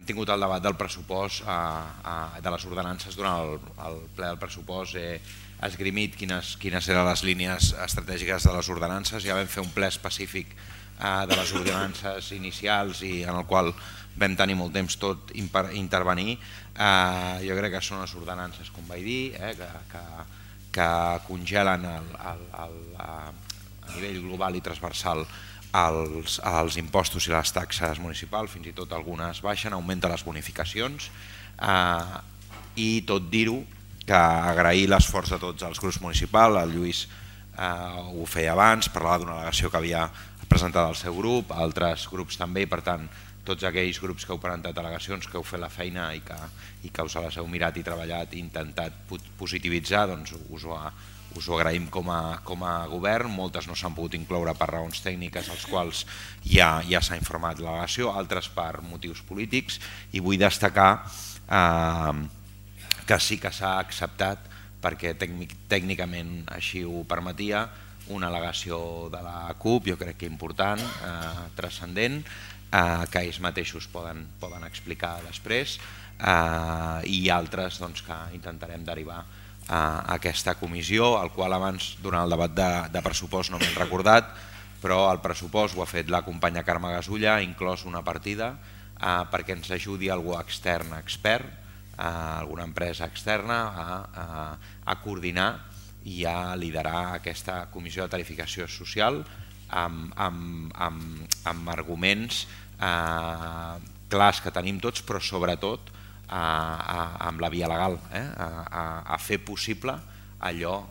tingut el debat del pressupost, de les ordenances durant el ple del pressupost. He esgrimit quines eren les línies estratègiques de les ordenances. Ja vam fer un ple específic de les ordenances inicials i en el qual vam tenir molt temps tot intervenir. Jo crec que són les ordenances, com vaig dir, que congelen a nivell global i transversal els impostos i les taxes municipals, fins i tot algunes baixen, augmenten les bonificacions, i tot dir-ho, que agrair l'esforç de tots els grups municipals. El Lluís ho feia abans, parlava d'una al·legació que havia presentat el seu grup, altres grups també, i per tant tots aquells grups que heu presentat al·legacions, que heu fet la feina i que us les heu mirat i treballat i intentat positivitzar, doncs us ho agraïm com a govern. Moltes no s'han pogut incloure per raons tècniques, als quals ja s'ha informat l'al·legació, altres per motius polítics, i vull destacar que sí que s'ha acceptat, perquè tècnicament així ho permetia, una al·legació de la CUP, jo crec que important, transcendent, que ells mateixos poden explicar després, i altres que intentarem derivar a aquesta comissió, al qual abans, durant el debat de pressupost, no m'he recordat, però el pressupost ho ha fet la companya Carme Gasulla, ha inclòs una partida perquè ens ajudi algú extern expert, alguna empresa externa, a coordinar i a liderar aquesta comissió de tarificació social amb arguments clars que tenim tots, però sobretot amb la via legal, a fer possible allò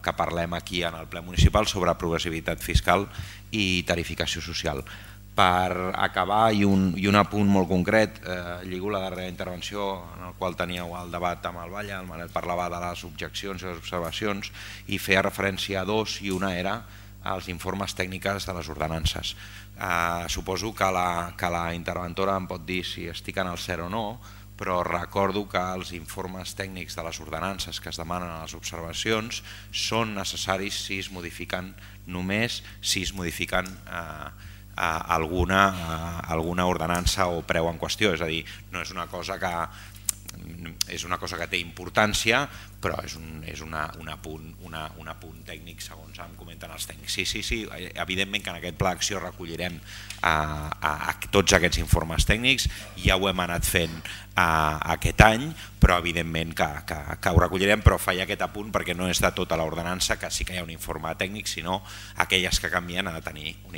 que parlem aquí en el ple municipal sobre progressivitat fiscal i tarificació social. Per acabar, i un apunt molt concret, lligo la darrera intervenció en el qual teníeu el debat amb el Valle, el Manel parlava de les objeccions i les observacions i feia referència a dos, i una era els informes tècnics de les ordenances. Suposo que la interventora em pot dir si estic en el cert o no, però recordo que els informes tècnics de les ordenances que es demanen a les observacions són necessaris si es modifiquen, només si es modifiquen alguna ordenança o preu en qüestió. És a dir, no és una cosa que té importància, però és un apunt tècnic segons em comenten els tècnics. Sí, evidentment que en aquest pla d'acció recollirem tots aquests informes tècnics, ja ho hem anat fent aquest any, però evidentment que ho recollirem, però faig aquest apunt perquè no és de tota l'ordenança que sí que hi ha un informe tècnic, sinó aquelles que canvien ha de tenir un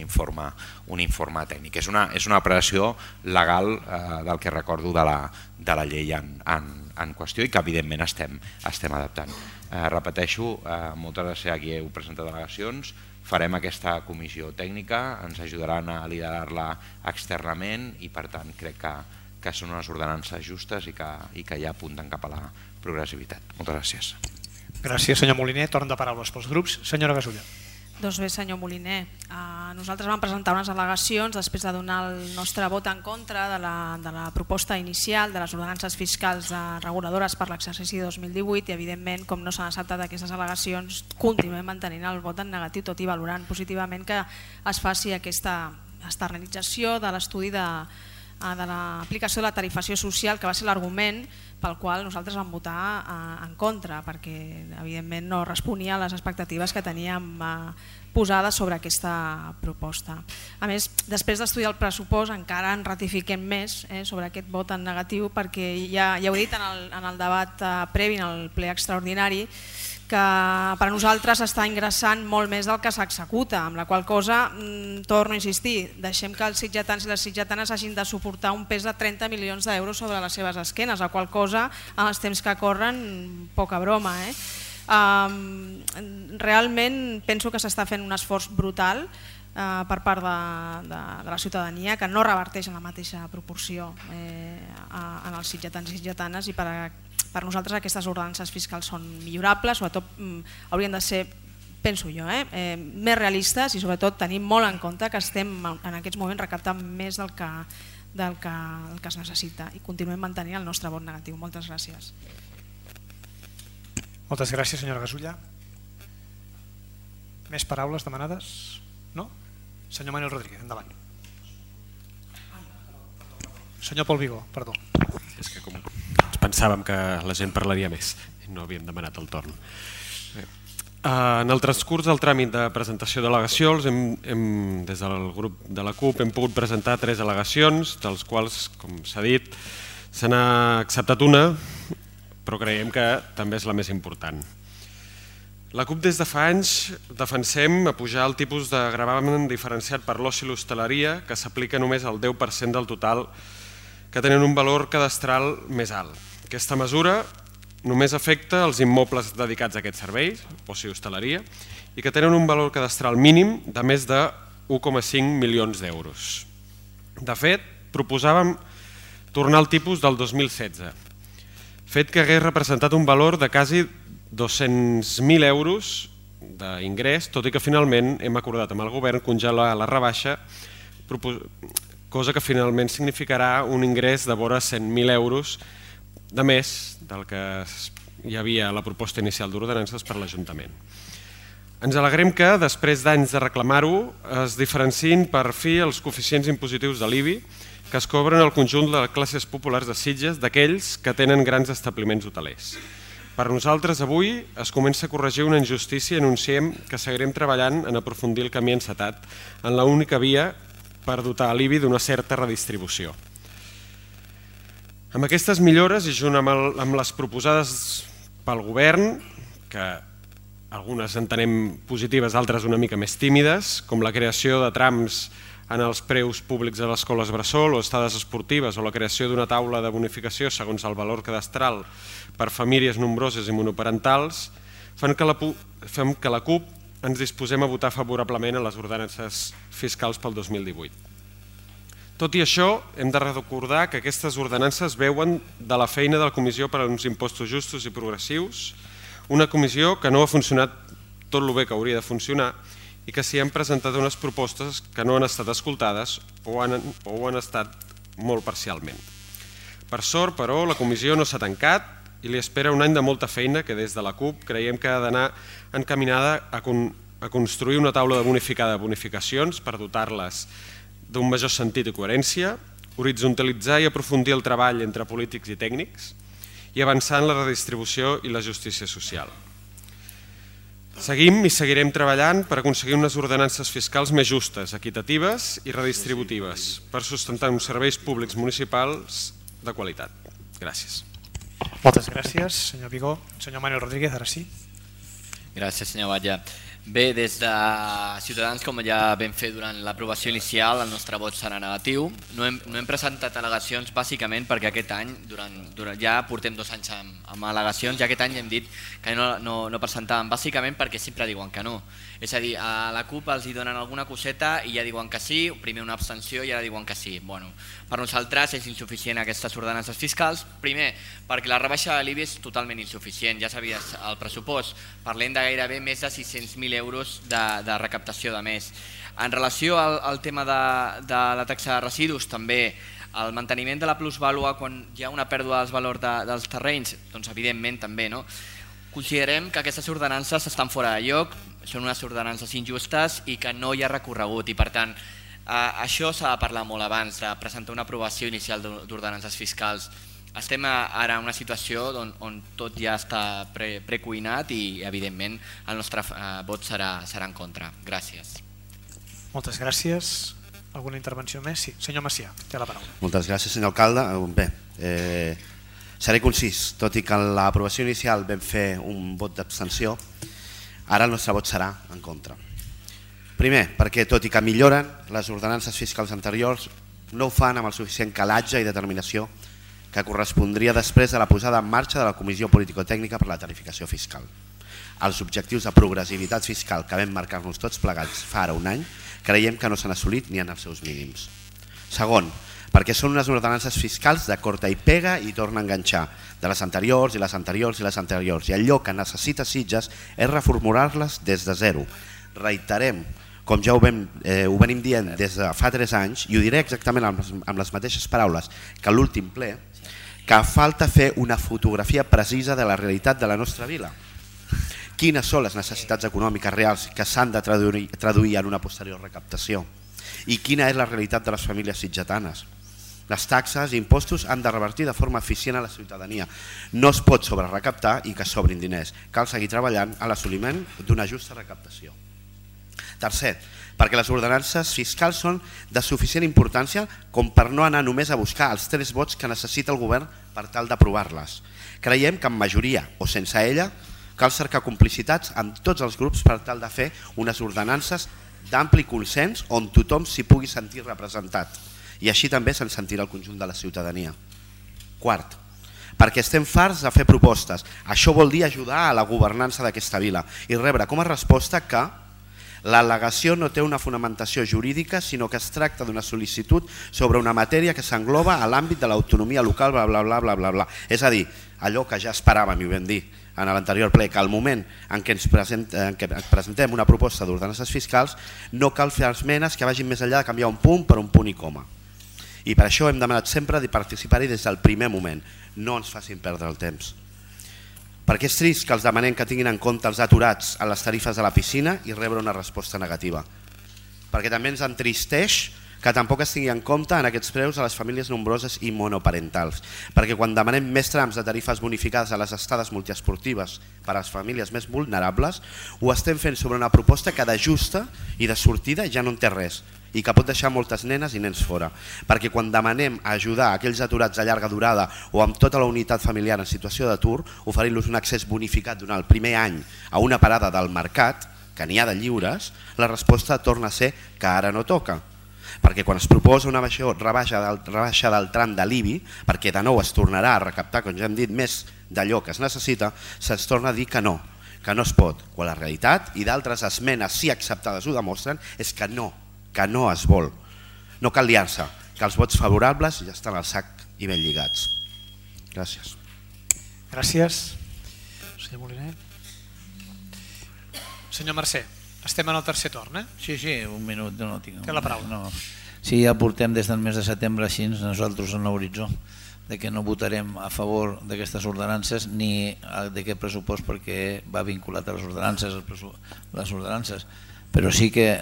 informe tècnic. És una operació legal del que recordo de la llei en qüestió i que evidentment estem adaptant. Repeteixo, moltes gràcies a qui heu presentat al·legacions, farem aquesta comissió tècnica, ens ajudaran a liderar-la externament i per tant crec que són unes ordenances justes i que ja apunten cap a la progressivitat. Moltes gràcies. Gràcies, senyor Moliner. Torn de paraules pels grups. Senyora Gasulla. Doncs bé, senyor Moliner, nosaltres vam presentar unes al·legacions després de donar el nostre vot en contra de la proposta inicial de les ordenances fiscals reguladores per l'exercici 2018 i evidentment, com no s'han acceptat aquestes al·legacions, continuem mantenint el vot en negatiu, tot i valorant positivament que es faci aquesta externalització de l'estudi de l'aplicació de la tarifació social, que va ser l'argument pel qual nosaltres vam votar en contra, perquè evidentment no responia a les expectatives que teníem posades sobre aquesta proposta. A més, després d'estudiar el pressupost encara en ratifiquem més sobre aquest vot en negatiu, perquè ja ho he dit en el debat previ, en el ple extraordinari, que per a nosaltres està ingressant molt més del que s'executa, amb la qual cosa, torno a insistir, deixem que els sitgetans i les sitgetanes hagin de suportar un pes de 30 milions d'euros sobre les seves esquenes, la qual cosa, en els temps que corren, poca broma. Realment penso que s'està fent un esforç brutal per part de la ciutadania, que no reverteix en la mateixa proporció en els sitgetans i sitgetanes, i per nosaltres aquestes ordenances fiscals són millorables, sobretot haurien de ser, penso jo, més realistes i sobretot tenir molt en compte que estem en aquests moments recaptant més del que es necessita i continuem mantenint el nostre vot negatiu. Moltes gràcies. Moltes gràcies, senyora Gasulla. Més paraules demanades? No? Senyor Manuel Rodríguez, endavant. Senyor Pol Vigó, perdó. És que com ens pensàvem que la gent parlaria més, no havíem demanat el torn. En el transcurs del tràmit de presentació d'al·legacions, des del grup de la CUP hem pogut presentar 3 al·legacions, dels quals, com s'ha dit, se n'ha acceptat una, però creiem que també és la més important. La CUP des de fa anys defensem apujar el tipus de gravamen diferenciat per l'oci i l'hostaleria, que s'aplica només al 10% del total, que tenen un valor cadastral més alt. Aquesta mesura només afecta els immobles dedicats a aquests serveis, oci i hostaleria, i que tenen un valor cadastral mínim de més de 1,5 milions d'euros. De fet, proposàvem tornar al tipus del 2016, fet que hagués representat un valor de quasi 200.000 euros d'ingrés, tot i que finalment hem acordat amb el govern congelar la rebaixa, cosa que finalment significarà un ingrés de vora 100.000 euros de més del que hi havia a la proposta inicial d'ordenances per l'Ajuntament. Ens alegrem que, després d'anys de reclamar-ho, es diferenciïn per fi els coeficients impositius de l'IBI que es cobren al conjunt de les classes populars de Sitges d'aquells que tenen grans establiments hotelers. Per nosaltres, avui, es comença a corregir una injustícia i anunciem que seguirem treballant en aprofundir el camí encetat en l'única via per dotar l'IBI d'una certa redistribució. Amb aquestes millores i junt amb les proposades pel govern, que algunes entenem positives, altres una mica més tímides, com la creació de trams en els preus públics de les escoles bressol o estades esportives o la creació d'una taula de bonificació segons el valor cadastral per famílies nombroses i monoparentals, fem que la CUP ens disposem a votar favorablement a les ordenances fiscals pel 2018. Tot i això, hem de recordar que aquestes ordenances veuen de la feina de la Comissió per a uns impostos justos i progressius, una comissió que no ha funcionat tot el bé que hauria de funcionar i que s'hi han presentat unes propostes que no han estat escoltades o han estat molt parcialment. Per sort, però, la comissió no s'ha tancat i li espera un any de molta feina que des de la CUP creiem que ha d'anar encaminada a construir una taula de bonificacions per dotar-les d'un major sentit i coherència, horitzontalitzar i aprofundir el treball entre polítics i tècnics i avançar en la redistribució i la justícia social. Seguim i seguirem treballant per aconseguir unes ordenances fiscals més justes, equitatives i redistributives per sustentar uns serveis públics municipals de qualitat. Gràcies. Moltes gràcies, senyor Vigó. Senyor Manuel Rodríguez, ara sí. Gràcies, senyor Batlle. Bé, des de Ciutadans, com ja vam fer durant l'aprovació inicial, el nostre vot serà negatiu. No hem presentat al·legacions bàsicament perquè aquest any, ja portem 2 anys amb al·legacions, i aquest any hem dit que no presentàvem, bàsicament perquè sempre diuen que no. És a dir, a la CUP els hi donen alguna coseta i ja diuen que sí, primer una abstenció i ara diuen que sí. Per nosaltres és insuficient aquestes ordenances fiscals, primer perquè la rebaixa de l'IBI és totalment insuficient, ja sabies, el pressupost, parlem de gairebé més de 600.000 euros de recaptació de mes. En relació al tema de la taxa de residus, també el manteniment de la plusvàlua quan hi ha una pèrdua dels valors dels terrenys, doncs evidentment també, no? Considerem que aquestes ordenances estan fora de lloc, són unes ordenances injustes i que no hi ha recorregut i per tant això s'ha de parlar molt abans de presentar una aprovació inicial d'ordenances fiscals. Estem ara en una situació on tot ja està precuinat i evidentment el nostre vot serà en contra. Gràcies. Moltes gràcies. Alguna intervenció més? Sí, senyor Macià, té la paraula. Moltes gràcies, senyor alcalde. Bé, seré concís, tot i que en l'aprovació inicial vam fer un vot d'abstenció, ara el nostre vot serà en contra. Primer, perquè tot i que milloren les ordenances fiscals anteriors, no ho fan amb el suficient calatge i determinació que correspondria després de la posada en marxa de la Comissió Político-Tècnica per la Tarificació Fiscal. Els objectius de progressivitat fiscal que vam marcar-nos tots plegats fa ara un any, creiem que no s'han assolit ni en els seus mínims. Segon, perquè són unes ordenances fiscals de corta i pega i torna a enganxar de les anteriors i les anteriors i les anteriors, i allò que necessita Sitges és reformular-les des de zero. Reiterem, com ja ho venim dient des de fa 3 anys, i ho diré exactament amb les mateixes paraules que l'últim ple, que falta fer una fotografia precisa de la realitat de la nostra vila. Quines són les necessitats econòmiques reals que s'han de traduir en una posterior recaptació? I quina és la realitat de les famílies sitgetanes? Les taxes i impostos han de revertir de forma eficient a la ciutadania. No es pot sobrerecaptar i que sobrin diners. Cal seguir treballant a l'assoliment d'una justa recaptació. Tercer, perquè les ordenances fiscals són de suficient importància com per no anar només a buscar els 3 vots que necessita el govern per tal d'aprovar-les. Creiem que amb majoria o sense ella cal cercar complicitats amb tots els grups per tal de fer unes ordenances d'ampli consens on tothom s'hi pugui sentir representat i així també se'n sentirà el conjunt de la ciutadania. Quart, perquè estem farts de fer propostes. Això vol dir ajudar a la governança d'aquesta vila i rebre com a resposta que l'al·legació no té una fonamentació jurídica, sinó que es tracta d'una sol·licitud sobre una matèria que s'engloba a l'àmbit de l'autonomia local, bla, bla, bla, bla, bla, bla. És a dir, allò que ja esperàvem i ho vam dir en l'anterior ple, que al moment en què ens presentem una proposta d'ordenances fiscals no cal fer esmenes que vagin més enllà de canviar un punt per un punt i coma. I per això hem demanat sempre de participar-hi des del primer moment. No ens facin perdre el temps. Perquè és trist que els demanem que tinguin en compte els aturats a les tarifes de la piscina i rebre una resposta negativa. Perquè també ens entristeix que tampoc es tingui en compte en aquests preus a les famílies nombroses i monoparentals. Perquè quan demanem més trams de tarifes bonificades a les estades multiesportives per a les famílies més vulnerables, ho estem fent sobre una proposta que de justa i de sortida ja no en té res i que pot deixar moltes nenes i nens fora. Perquè quan demanem ajudar aquells aturats a llarga durada o amb tota la unitat familiar en situació d'atur, oferint-los un accés bonificat durant el primer any a una parada del mercat, que n'hi ha de lliures, la resposta torna a ser que ara no toca. Perquè quan es proposa una rebaixa del tram de l'IBI, perquè de nou es tornarà a recaptar, com ja hem dit, més d'allò que es necessita, se'ns torna a dir que no es pot. Quan la realitat, i d'altres esmenes sí acceptades ho demostren, és que no es vol. No cal liar-se, que els vots favorables ja estan al sac i ben lligats. Gràcies. Gràcies. Senyor Moliner. Senyor Mercè, estem en el tercer torn, eh? Sí, un minut, no tinc. Té la paraula. No. Sí, ja portem des del mes de setembre així nosaltres en l'horitzó de que no votarem a favor d'aquestes ordenances ni d'aquest pressupost perquè va vinculat a les ordenances, però sí que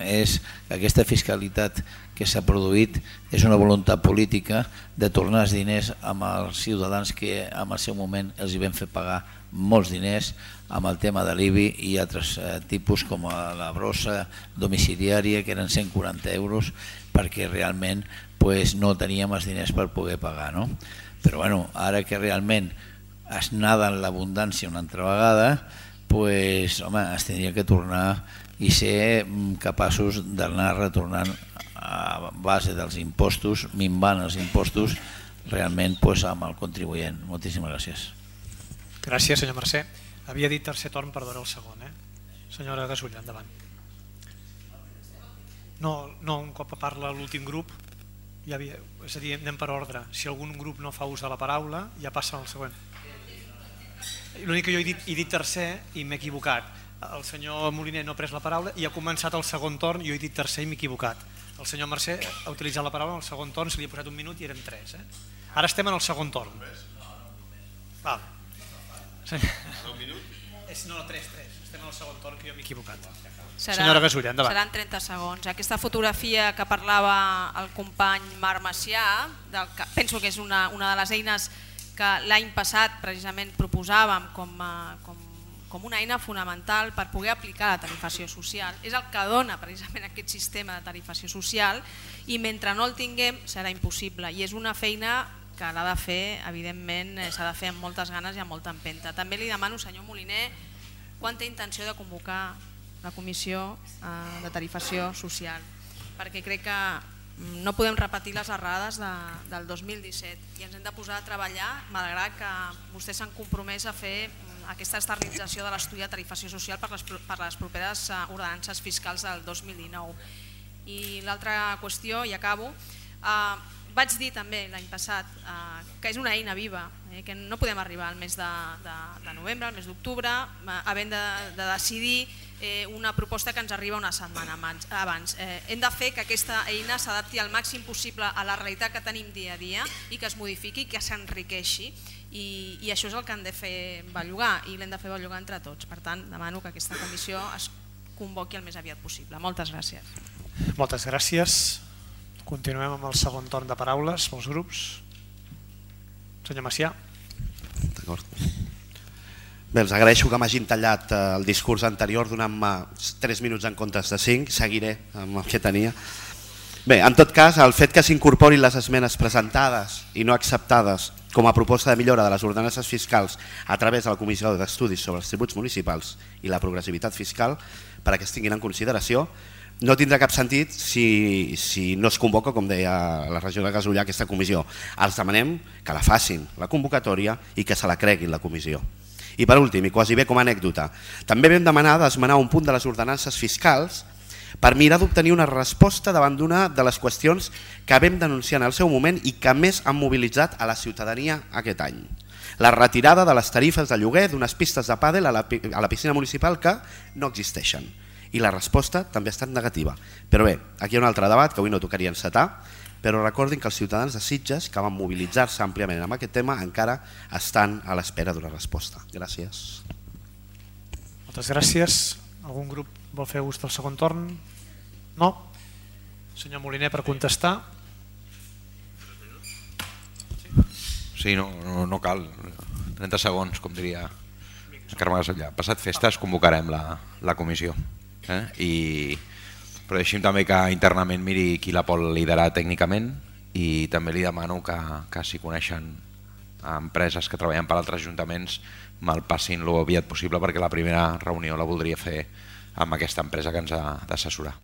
és que aquesta fiscalitat que s'ha produït és una voluntat política de tornar els diners amb els ciutadans que en el seu moment els hi vam fer pagar molts diners amb el tema de l'IBI i altres tipus com la brossa domiciliària que eren 140 euros perquè realment no teníem els diners per poder pagar. Però ara que realment es nada en l'abundància una altra vegada, es tindria que tornar i ser capaços d'anar retornant a base dels impostos, minvant els impostos realment amb el contribuent. Moltíssimes gràcies. Gràcies, senyor Mercè. Havia dit tercer torn, perdona el segon. Senyora Gasull, endavant. No, un cop parla l'últim grup, és a dir, anem per ordre. Si algun grup no fa ús de la paraula, ja passa al següent. L'únic que jo he dit tercer i m'he equivocat. El senyor Moliner no ha pres la paraula i ha començat el segon torn, jo he dit tercer i m'he equivocat. El senyor Mercè ha utilitzat la paraula en el segon torn, se li ha posat un minut i eren 3. Ara estem en el segon torn. Val. No, 3. Estem en el segon torn que jo m'he equivocat. Senyora Gasull, endavant. Seran 30 segons. Aquesta fotografia que parlava el company Marc Macià, penso que és una de les eines que l'any passat precisament proposàvem com una eina fonamental per poder aplicar la tarifació social. És el que dona precisament aquest sistema de tarifació social i mentre no el tinguem serà impossible i és una feina que l'ha de fer, evidentment, s'ha de fer amb moltes ganes i amb molta empenta. També li demano, senyor Moliner, quan té intenció de convocar la comissió de tarifació social, perquè crec que no podem repetir les errades del 2017 i ens hem de posar a treballar, malgrat que vostès s'han compromès a fer aquesta externalització de l'estudi de tarifació social per les properes ordenances fiscals del 2019. I l'altra qüestió, i acabo, vaig dir també l'any passat que és una eina viva, que no podem arribar al mes de novembre, al mes d'octubre, havent de decidir una proposta que ens arriba una setmana abans. Hem de fer que aquesta eina s'adapti al màxim possible a la realitat que tenim dia a dia i que es modifiqui, que s'enriqueixi i això és el que hem de fer bellugar i l'hem de fer bellugar entre tots. Per tant, demano que aquesta comissió es convoqui el més aviat possible. Moltes gràcies. Moltes gràcies. Continuem amb el segon torn de paraules pels grups. Senyor Macià. D'acord. Bé, els agraeixo que m'hagin tallat el discurs anterior donant-me 3 minuts en comptes de 5, seguiré amb el que tenia. Bé, en tot cas, el fet que s'incorporin les esmenes presentades i no acceptades com a proposta de millora de les ordenances fiscals a través de la Comissió d'Estudis sobre els Tributs Municipals i la Progressivitat Fiscal perquè es tinguin en consideració, no tindrà cap sentit si no es convoca, com deia la regidora Gasullà, aquesta comissió. Els demanem que la facin, la convocatòria, i que se la creguin la comissió. I per últim, i quasi bé com a anècdota, també vam demanar d'esmenar un punt de les ordenances fiscals per mirar d'obtenir una resposta davant d'una de les qüestions que vam denunciar en el seu moment i que més han mobilitzat a la ciutadania aquest any. La retirada de les tarifes de lloguer d'unes pistes de pàdel a la piscina municipal que no existeixen. I la resposta també ha estat negativa. Però bé, aquí hi ha un altre debat que avui no tocaria encetar, però recordin que els ciutadans de Sitges, que van mobilitzar-se àmpliament amb aquest tema, encara estan a l'espera d'una resposta. Gràcies. Moltes gràcies. Algun grup vol fer ús del segon torn? No? Senyor Moliner, per contestar. Sí, no cal. 30 segons, com diria Carme Gasellà. Passat festes convocarem la comissió. Però deixi'm també que internament miri qui la pot liderar tècnicament i també li demano que si coneixen empreses que treballen per altres ajuntaments me'l passin lo aviat possible perquè la primera reunió la voldria fer amb aquesta empresa que ens ha d'assessorar.